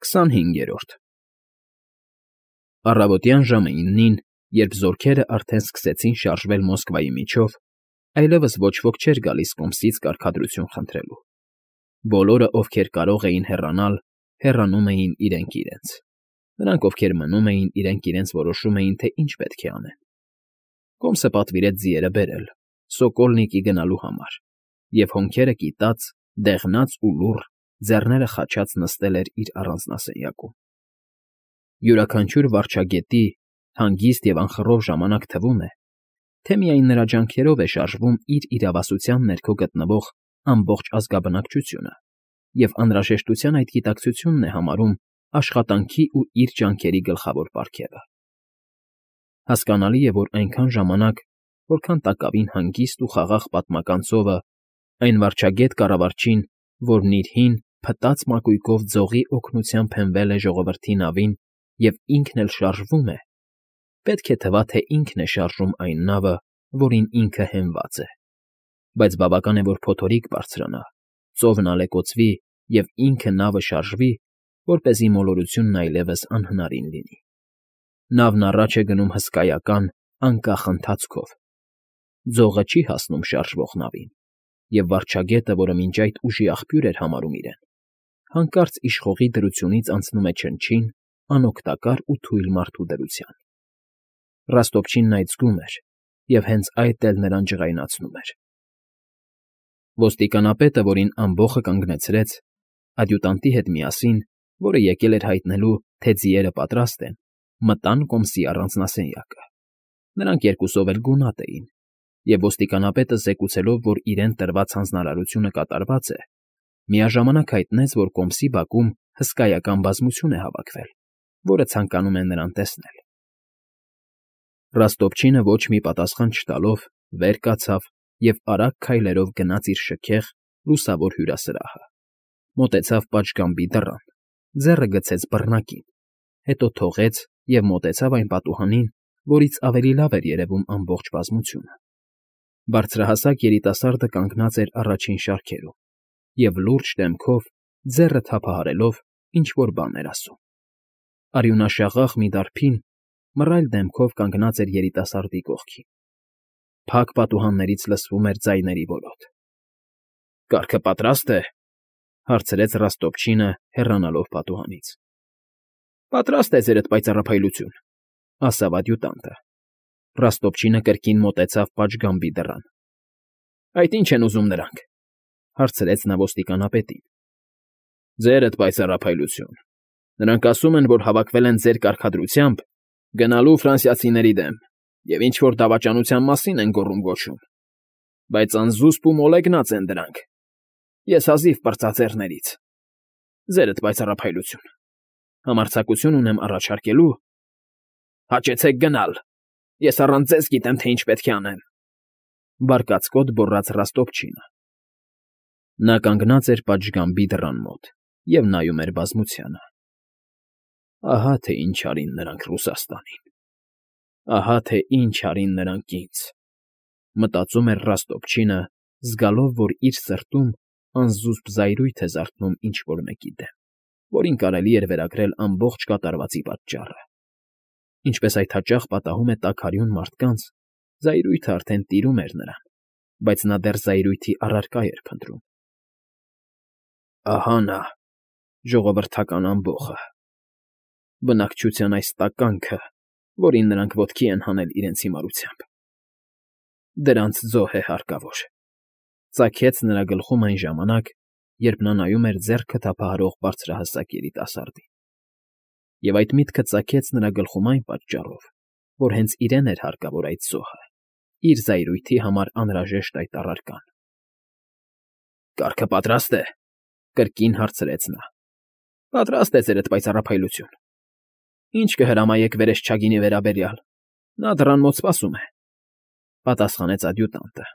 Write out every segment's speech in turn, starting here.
25-րդ Առավոտյան ժամը 9-ին, երբ զորքերն արդեն սկսեցին շարժվել Մոսկվայի միջով, այլևս ոչ ոք չէր գալիս կոմսից կարգադրություն խնդրելու. բոլորը, ովքեր կարող էին հեռանալ, հեռանում էին իրենք իրենց. նրանք, ովքեր մնում էին, իրենք որոշում էին, թե ինչ պետք է անեն. Կոմսը պատվիրեց ձիերը բերել, Սոկոլնիկի գնալու համար, և հոնքերը կիտած, դեղնած ու լուռ, ձեռները խաչած նստել էր իր առանձնասենյակում. յուրաքանչյուր վարչագետի հանգիստ և անխռով ժամանակ թվում է, թե միայն նրա ջանքերով է շարժվում իր իրավասության ներքո գտնվող ամբողջ ազգաբնակչությունը և անհրաժեշտության այդ գիտակցությունն է համարում աշխատանքի ու իր ջանքերի գլխավոր պարգևը։ Հասկանալի է, որ այնքան ժամանակ, որքան տակավին հանգիստ ու խաղաղ պատմական ծովը, այն վարչագետ կառավարչին, որն իր հին, փտած մակույկով ձողի օգնությամբ հենվել է ժողովրդի նավին և ինքն էլ շարժվում է, պետք է թվա, թե ինքն է շարժում այն նավը, որին ինքը հենված է, բայց բավական է, որ փոթորիկ բարձրանա, ծովն ալեկոծվի և ինքը նավը շարժվի, որպեսզի մոլորությունն այլևս անհնարին լինի։ Նավն առաջ է գնում հսկայական, անկախ ընթացքով. ձողը չի հասնում շարժվող նավին, և վարչագետը, որը մինչ այդ ուժի աղբյուր էր համարում իրեն, հանկարծ իշխողի դրությունից անցնում է չնչին, անօգտակար ու թույլ մարդու դրության։ Ռաստոպչինն այդ զգում էր, և հենց այդ էլ նրան ջղայնացնում էր։ Ոստիկանապետը, որին ամբոխը կանգնեցրեց, ադյուտանտի հետ միասին, որը եկել էր հայտնելու, թե ձիերը պատրաստ են, մտան կոմսի առանձնասենյակը. նրանք երկուսով էլ գունատ էին, և ոստիկանապետը զեկուցելով, որ իրեն տրված հանձնարարությունը կատարված է, միաժամանակ հայտնեց, որ կոմսի բակում հսկայական բազմություն է հավաքվել, որը ցանկանում է նրան տեսնել։ Ռաստոպչինը ոչ մի պատասխան չտալով վեր կացավ և արագ քայլերով գնաց իր շքեղ, լուսավոր հյուրասրահը, մոտեցավ պատշգամբի դռան, ձեռը գցեց բռնակին, հետո թողեց և մոտեցավ այն պատուհանին, որից ավելի լավ էր երևում ամբողջ բազմությունը։ Բարձրահասակ երիտասարդը կանգնած էր առաջին շարքերում և լուրջ դեմքով, ձեռը թափահարելով, ինչ֊որ բան էր ասում։ Արյունաշաղախ մի դարբին մռայլ դեմքով կանգնած էր երիտասարդի կողքին։ Փակ պատուհաններից լսվում էր ձայների որոտ։ ֊ Կարգը պատրա՞ստ է,֊ հարցրեց Ռաստոպչինը, հեռանալով պատուհանից։ ֊ Պատրաստ է, ձերդ պայծառափայլություն,֊ ասավ ադյուտանտը։ Ռաստոպչինը կրկին մոտեցավ պատշգամբի դռան։ ֊ Այդ ի՞նչ են ուզում նրանք,֊ հարցրեց նա ոստիկանապետին։ ֊ Ձերդ պայծառափայլություն, նրանք ասում են, որ հավաքվել են ձեր կարգադրությամբ գնալու ֆրանսիացիների դեմ և ինչ֊որ դավաճանության մասին են գոռում֊գոչում, բայց անզուսպ ու մոլեգնած են դրանք, ես հազիվ պրծա ձեռներից։ Ձերդ պայծառափայլություն, համարձակություն ունեմ առաջարկելու… Հաճեցեք գնալ, ես առանց ձեզ գիտեմ, թե ինչ պետք է անեմ,֊ բարկացկոտ գոռաց Ռաստոպչինը։ Նա կանգնած էր պատշգամբի դռան մոտ և նայում էր բազմությանը։ Ահա թե ինչ արին նրանք Ռուսաստանին, ահա թե ինչ արին նրանք ինձ, մտածում էր Ռաստոպչինը, զգալով, որ իր սրտում անզուսպ զայրույթ է զարթնում ինչ֊որ մեկի դեմ, որին կարելի էր վերագրել ամբողջ կատարվածի պատճառը։ Ինչպես այդ հաճախ պատահում է տաքարյուն մարդկանց, զայրույթը արդեն տիրում էր նրան, բայց նա դեռ զայրույթի առարկա էր փնտրում։ Ահա նա, ժողովրդական ամբոխը, բնակչության այս տականքը, որին նրանք ոտքի են հանել իրենց հիմարությամբ… Դրանց զոհ է հարկավոր,֊ ծագեց նրա գլխում այն ժամանակ, երբ նա նայում էր ձեռքը թափահարող բարձրահասակ երիտասարդին։ Եվ այդ միտքը ծագեց նրա գլխում այն պատճառով, որ հենց իրեն էր հարկավոր այդ զոհը, իր զայրույթի համար անհրաժեշտ այդ առարկան։ ֊ Կարգը պատրաստ է,֊ կրկին հարցրեց նա։ ֊ Պատրաստ է, ձերդ պայծառափայլություն։ Ինչ կհրամայեք վերեսչագինի վերաբերյալ, նա դռան մոտ սպասում է,֊ պատասխանեց ադյուտանտը։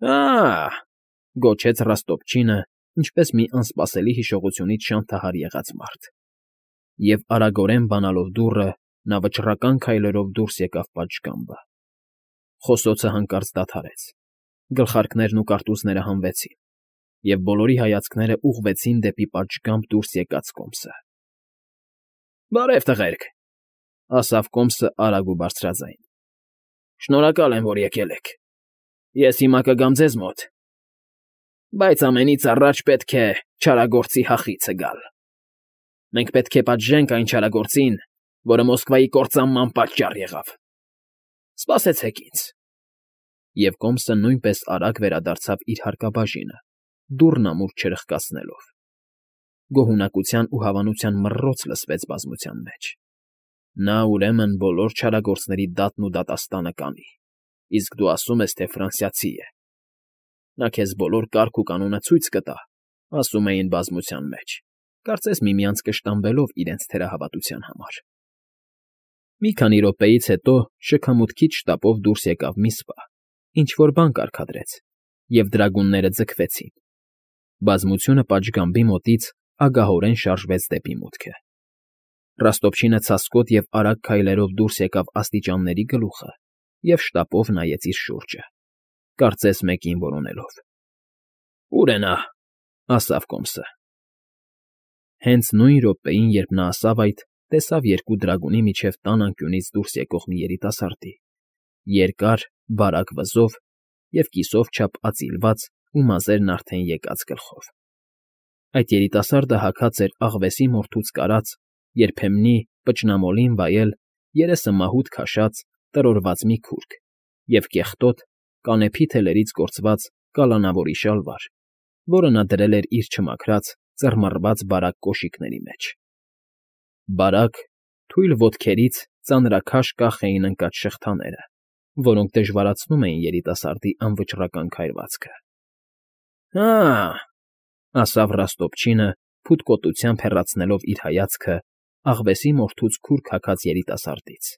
Ա՜հ,֊ գոչեց Ռաստոպչինը, ինչպես մի անսպասելի հիշողությունից շանթահար եղած մարդ, և արագորեն բանալով դուռը, նա վճռական քայլերով դուրս եկավ պատշգամբը։ Խոսոցը հանկարծ դադարեց, գլխարկներն ու կարտուզները հանվեցին, և բոլորի հայացքները ուղղվեցին դեպի պատշգամբ դուրս եկած կոմսը։ ֊ Բարև, տղերք,֊ ասավ կոմսը արագ ու բարձրաձայն։ Շնորհակալ եմ, որ եկել եք։ Ես հիմա կգամ ձեզ մոտ, բայց ամենից առաջ պետք է չարագործի հախիցը գալ։ Մենք պետք է պատժենք այն չարագործին, որը Մոսկվայի կործանման պատճառ եղավ։ Սպասեցեք ինձ։ Եվ կոմսը նույնպես արագ վերադարձավ իր հարկաբաժինը, դուռն ամուր չրխկացնելով։ Գոհունակության ու հավանության մռռոց լսվեց բազմության մեջ։ Նա, ուրեմն, բոլոր չարագործների դատն ու դատաստանը կանի, իսկ դու ասում ես, թե ֆրանսիացի է։ Նա քեզ բոլոր կարգ ու կանոնը ցույց կտա, ասում էին բազմության մեջ, կարծես միմյանց կշտամբելով իրենց թերահավատության համար։ Մի քանի րոպեից հետո շքամուտքից շտապով դուրս եկավ մի սպա, ինչ-որ բան կարգադրեց, և դրագունները ձգվեցին։ Բազմությունը պատշգամբի մոտից ագահորեն շարժվեց դեպի մուտքը։ Ռաստոպչինը ցասկոտ և արագ քայլերով դուրս եկավ աստիճանների գլուխը և շտապով նայեց իր շուրջը, կարծես մեկին որոնելով։ «Ո՞ւր է նա», ասավ կոմսը։ Հենց նույն րոպեին, երբ նա ասավ այդ, տեսավ երկու դրագունի միջև տան անկյունից դուրս եկող մի երիտասարդի, երկար, բարակ վզով և կիսով չափ ածիլված ու մազերն արդեն եկած գլխով։ Այդ երիտասարդը հագած էր աղվեսի մորթուց կարած, երբեմնի պճնամոլին վայել, երեսը մահուտ քաշած, տրորված մի քուրգ և կեղտոտ, կանեփի թելերից գործված կալանավորի շալվար, որը նա դրել էր իր չմաքրած, ծռմռված բարակ կոշիկների մեջ։ Բարակ, թույլ ոտքերից ծանրաքաշ կախ էին ընկած շղթաները, որոնք դժվարացնում էին երիտասարդի անվճռական քայլվածքը։ «Հա՜», ասավ Ռաստոպչինը, փութկոտությամբ հեռացնելով իր հայացքը աղվեսի մորթուց քուրգ հագած երիտասարդից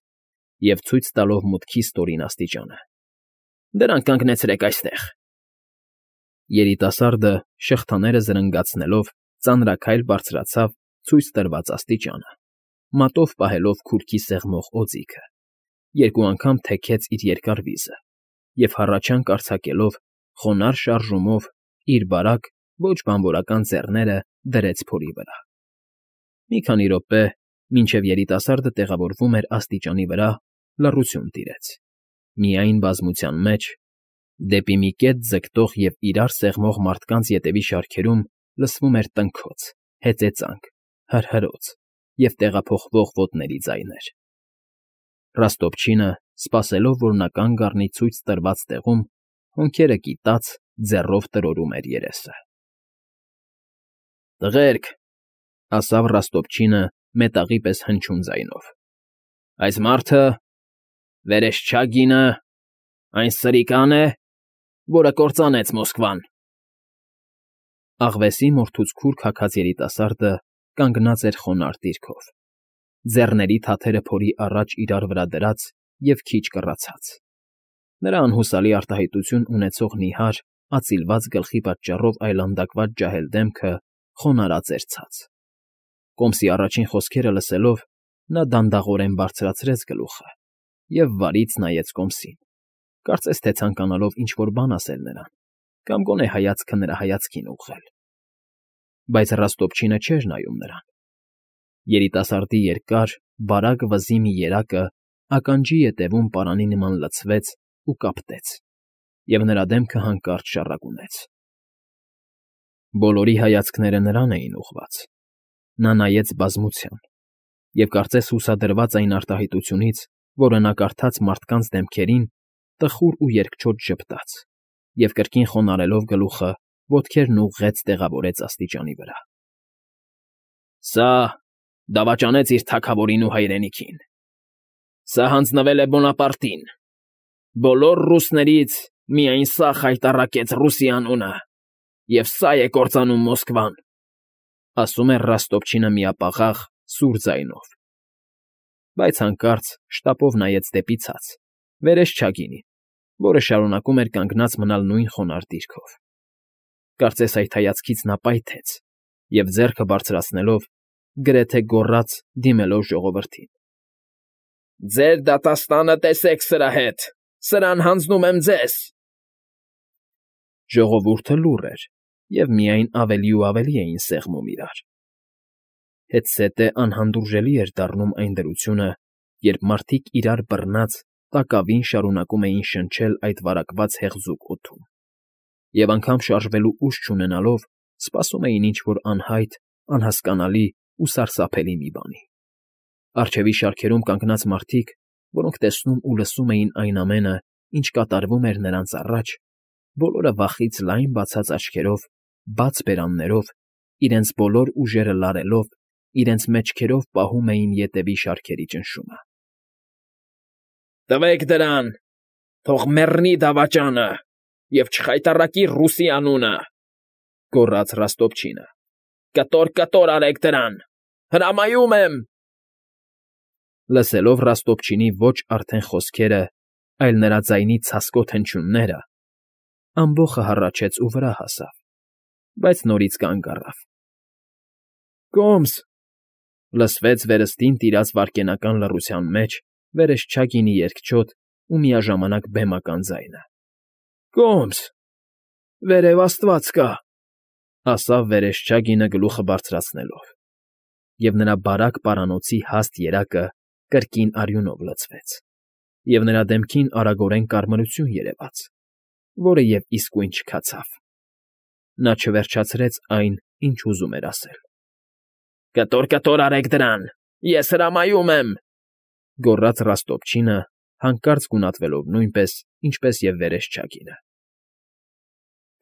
և ցույց տալով մուտքի ստորին աստիճանը։ «Դրանք կանգնեցրեք այստեղ»։ Երիտասարդը, շղթաները զրնգացնելով, ծանրաքայլ բարձրացավ ցույց տրված աստիճանը, մատով պահելով քուրքի սեղմող օձիքը, երկու անգամ թեքեց իր երկար վիզը և հառաչանք արձակելով, խոնարհ շարժումով իր բարակ, ոչ բանվորական ձեռները դրեց փորի վրա։ Մի քանի րոպե, մինչև երիտասարդը տեղավորվում էր աստիճանի վրա, լռություն տիրեց։ Միայն բազմության մեջ, դեպի մի կետ ձգտող և իրար սեղմող մարդկանց ետևի շարքերում լսվում էր տնքոց, հեծեծանք, հրհրոց և տեղափոխվող ոտների ձայներ։ Ռաստոպչինը, սպասելով, որ նա կանգ առնի ցույց տրված տեղում, հոնքերը կիտած, ձեռով տրորում էր երեսը։ «Տղերք», ասավ Ռաստոպչինը մետաղի պես հնչուն ձայնով, «այս մարդը, Վերեշչագինը, այն սրիկա՞ն է, որը կործանեց Մոսկվան»։ Աղվեսի մորթուց քուրգ հագած երիտասարդը կանգնած էր խոնարհ դիրքով, ձեռների թաթերը փորի առաջ իրար վրա դրած և քիչ կռացած։ Նրա անհուսալի արտահայտություն ունեցող նիհար, ածիլված գլխի պատճառով այլանդակված ջահել դեմքը խոնարհած էր ցած։ Կոմսի առաջին խոսքերը լսելով, նա դանդաղորեն բարձրացրեց գլուխը և վարից նայեց կոմսին, կարծես թե ցանկանալով ինչ֊որ բան ասել նրան կամ գոնե հայացքը նրա հայացքին ուղղել։ Բայց Ռաստոպչինը չէր նայում նրան։ Երիտասարդի երկար, բարակ վզի մի երակը ականջի ետևում պարանի նման լցվեց ու կապտեց, և նրա դեմքը հանկարծ շառագունեց։ Բոլորի հայացքները նրան էին ուղղված։ Նա նայեց բազմության և, կարծես հուսադրված այն արտահայտությունից, որը նա կարդաց մարդկանց դեմքերին, տխուր ու երկչոտ ժպտաց և, կրկին խոնարհելով գլուխը, ոտքերն ուղղեց տեղավորեց աստիճանի վրա։ «Սա դավաճանեց իր թագավորին ու հայրենիքին։ Սա հանձնվել է Բոնապարտին։ Բոլոր ռուսներից միայն սա խայտառակեց Ռուսի անունը, և սա է կործանում Մոսկվան», ասում էր Ռաստոպչինը միապաղաղ, սուր ձայնով։ Բայց հանկարծ շտապով նայեց դեպի ցած, Վերեշչագինին, որը շարունակում էր կանգնած մնալ նույն խոնարհ դիրքով։ Կարծես այդ հայացքից նա պայթեց և, ձեռքը բարձրացնելով, գրեթե գոռաց, դիմելով ժողովրդին. «Ձեր դատաստանը տեսեք սրա հետ, սրան հանձնում եմ ձեզ»։ Ժողովուրդը լուռ էր, և միայն ավելի ու ավելի էին սեղմում իրար։ Հետզհետե անհանդուրժելի էր դառնում այն դրությունը, երբ մարդիկ իրար բռնած տակավին շարունակում էին շնչել այդ վարակված հեղձուկ օդում, և անգամ շարժվելու ուժ չունենալով սպասում էին ինչ֊որ անհայտ, անհասկանալի ու սարսափելի մի բանի։ Առջևի շարքերում կանգնած մարդիկ, որոնք տեսնում ու լսում էին այն ամենը, ինչ կատարվում էր նրանց առաջ, բոլորը վախից լայն բացած աչքերով, բաց բերաններով, իրենց բոլոր ուժերը լարելով, իրենց մեջքերով պահում էին ետևի շարքերի ճնշումը։ Տվեք դրան, թող մեռնի դավաճանը և չխայտառակի ռուսի անունը,֊ գոռաց Ռաստոպչինը։ Կտոր արեք դրան, հրամայում եմ… Լսելով Ռաստոպչինի ոչ արդեն խոսքերը, այլ նրա ձայնի ցասկոտ հնչյունները, ամբոխը հառաչեց ու վրա հասավ, բայց նորից կանգ առավ։ «Կոմս…֊ լսվեց վերստին տիրած վայրկենական լռության մեջ վերեսչագինի երկչոտ ու միաժամանակ բեմական ձայնը։ Կոմս… Վերև աստված կա…֊ ասավ վերեսչագինը գլուխը բարձրացնելով, և նրա բարակ պարանոցի հաստ երակը կրկին արյունով լցվեց, և նրա դեմքին արագորեն կարմրություն երևաց, որը և իսկույն չքացավ։ Նա չվերջացրեց այն, ինչ ուզում էր ասել։ Կտոր արեք դրան, ես հրամայում եմ,֊ գոռաց Ռաստոպչինը, հանկարծ գունատվելով նույնպես, ինչպես և վերեսչագինը։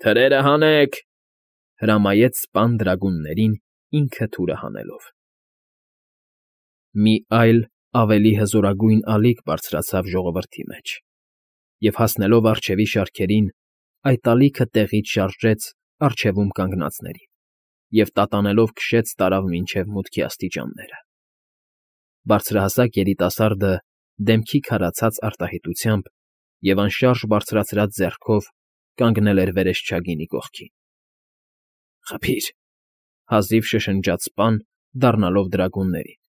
Թրերը հանեք,֊ հրամայեց սպան դրագուններին, ինքը թուրը հանելով։ Մի այլ, ավելի հզորագույն ալիք բարձրացավ ժողովրդի մեջ, և հասնելով առջևի շարքերին, այդ ալիքը տեղից շարժեց առջևում կանգնածներին և տատանելով քշեց տարավ մինչև մուտքի աստիճանները։ Բարձրահասակ երիտասարդը դեմքի քարացած արտահայտությամբ և անշարժ բարձրացրած ձեռքով կանգնել էր վերեսչագինի կողքին։ «Խփի՛ր,֊ հազիվ շշնջաց սպան, դառնալով դրագուններին,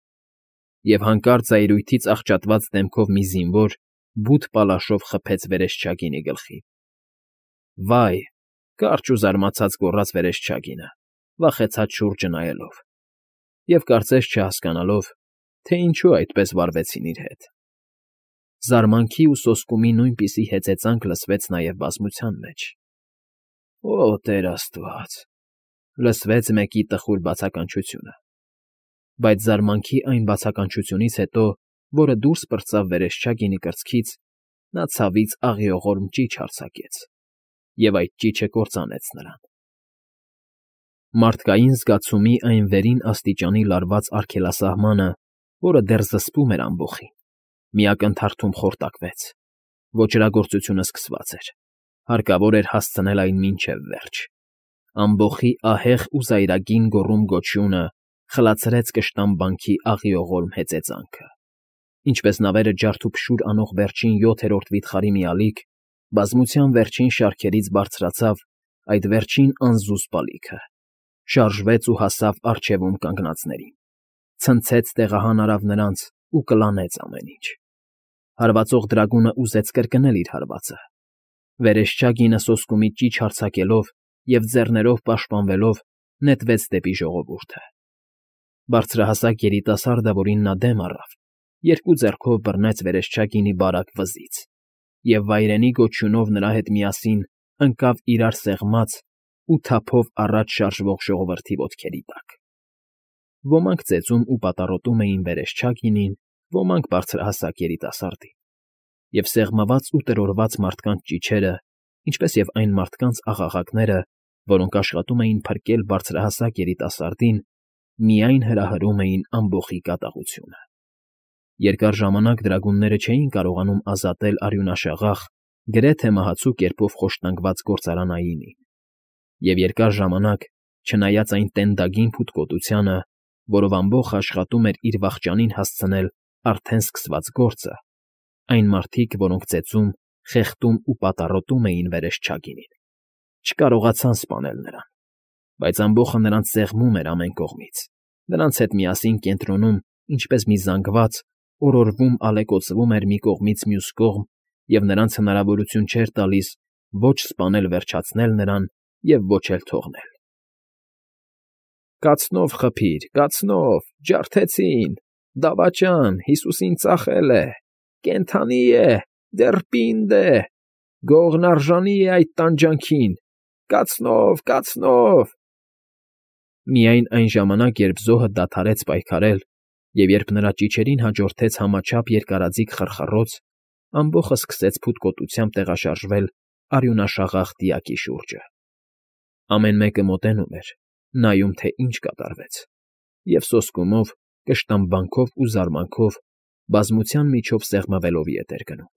և հանկարծ զայրույթից աղճատված դեմքով մի զինվոր բութ պալաշով խփեց վերեսչագինի գլխին։ «Վայ…֊ կարճ ու զարմացած գոռաց վերեսչագինը, վախեցած շուրջը նայելով և կարծես չհասկանալով, թե ինչու այդպես վարվեցին իր հետ։ Զարմանքի ու սոսկումի նույնպիսի հեծեծանք լսվեց նաև բազմության մեջ։ «Օ Տեր աստված…֊ լսվեց մեկի տխուր բացականչությունը, բայց զարմանքի այն բացականչությունից հետո, որը դուրս պրծավ վերեսչագինի կրծքից, նա ցավից աղիողորմ ճիչ արձակեց, և այդ ճիչը կործանեց նրան։ Մարդկային զգացումի այն վերին աստիճանի լարված արգելասահմանը, որը դեռ զսպում էր ամբոխին, մի ակնթարթում խորտակվեց։ Ոճրագործությունը սկսված էր, հարկավոր էր հասցնել այն մինչև վերջ։ Ամբոխի ահեղ ու զայրագին գոռում֊գոչյունը խլացրեց կշտամբանքի աղիողորմ հեծեծանքը։ Ինչպես նավերը ջարդուփշուր անող վերջին 7-րդ վիթխարի մի ալիք, բազմության վերջին շարքերից բարձրացավ այդ վերջին անզուսպ ալիքը, շարժվեց ու հասավ առջևում կանգնածներին, ցնցեց տեղահան արավ նրանց ու կլանեց ամեն ինչ։ Հարվածող դրագունը ուզեց կրկնել իր հարվածը։ Վերեսչագինը սոսկումի ճիչ արձակելով և ձեռներով պաշտպանվելով նետվեց դեպի ժողովուրդը։ Բարձրահասակ երիտասարդը, որին նա դեմ առավ, երկու ձեռքով բռնեց վերեսչագինի բարակ վզից և վայրենի գոչյունով նրա հետ միասին ընկավ իրար սեղմած ու թափով առաջ շարժվող ժողովրդի ոտքերի տակ։ Ոմանք ծեծում ու պատառոտում էին վերեսչագինին, ոմանք բարձրահասակ երիտասարդին, և սեղմված ու տրորված մարդկանց ճիչերը, ինչպես և այն մարդկանց աղաղակները, որոնք աշխատում էին փրկել բարձրահասակ երիտասարդին, միայն հրահրում էին ամբոխի կատաղությունը։ Երկար ժամանակ դրագունները չէին կարողանում ազատել արյունաշաղախ, գրեթե մահացու կերպով խոշտանգված գործարանայինին, և երկար ժամանակ, չնայած այն տենդագին փութկոտությանը, որով ամբոխը աշխատում էր իր վախճանին հասցնել արդեն սկսված գործը, այն մարդիկ, որոնք ծեծում, խեղդում ու պատառոտում էին վերեսչագինին, չկարողացան սպանել նրան, բայց ամբոխը նրանց սեղմում էր ամեն կողմից, նրանց հետ միասին կենտրոնում, ինչպես մի զանգված, օրորվում ալեկոծվում էր մի կողմից մյուս կողմ և նրանց հնարավորություն չէր տալիս ոչ սպանել֊վերջացնել նրան և ոչ էլ թողնել։ Կացնով խփիր, կացնով, ջարդեցին, դավաճան, Հիսուսին ծախել է, կենդանի է, դեռ պինդ է, գողն արժանի է այդ տանջանքին, կացնով, կացնով… Միայն այն ժամանակ, երբ զոհը դադարեց պայքարել, և երբ նրա ճիչերին հաջորդեց համաչափ երկարաձիգ խռխռոց, ամբոխը սկսեց փութկոտությամբ տեղաշարժվել արյունաշաղախ դիակի շուրջը։ Ամեն մեկը մոտենում էր, նայում, թե ինչ կատարվեց, և սոսկումով, կշտամբանքով ու զարմանքով բազմության միջով սեղմվելով ետ էր գնում։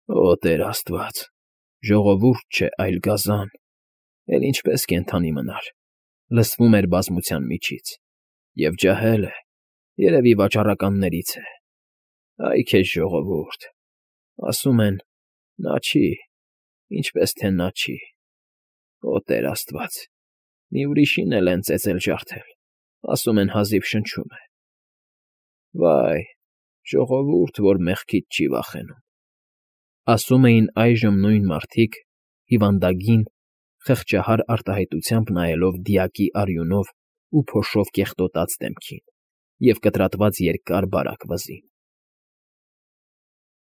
«Օ Տեր աստված, ժողովուրդ չէ, այլ գազան, էլ ինչպես կենդանի մնար», լսվում էր բազմության միջից, և ջահել է, երևի վաճառականներից է։ Այ քեզ ժողովուրդ, ասում են, նա չի, ինչպես թե նա չի։ Օ Տեր աստված, մի ուրիշին էլ են ծեծել֊ջարդել, ասում են հազիվ շնչում է։ Վայ, ժողովուրդ, որ մեղքից չի վախենում», ասում էին այժմ նույն մարդիկ, հիվանդագին, խղճահար արտահայտությամբ նայելով դիակի արյունով ու փոշով կեղտոտած դեմքին և կտրատված երկար բարակ վզին։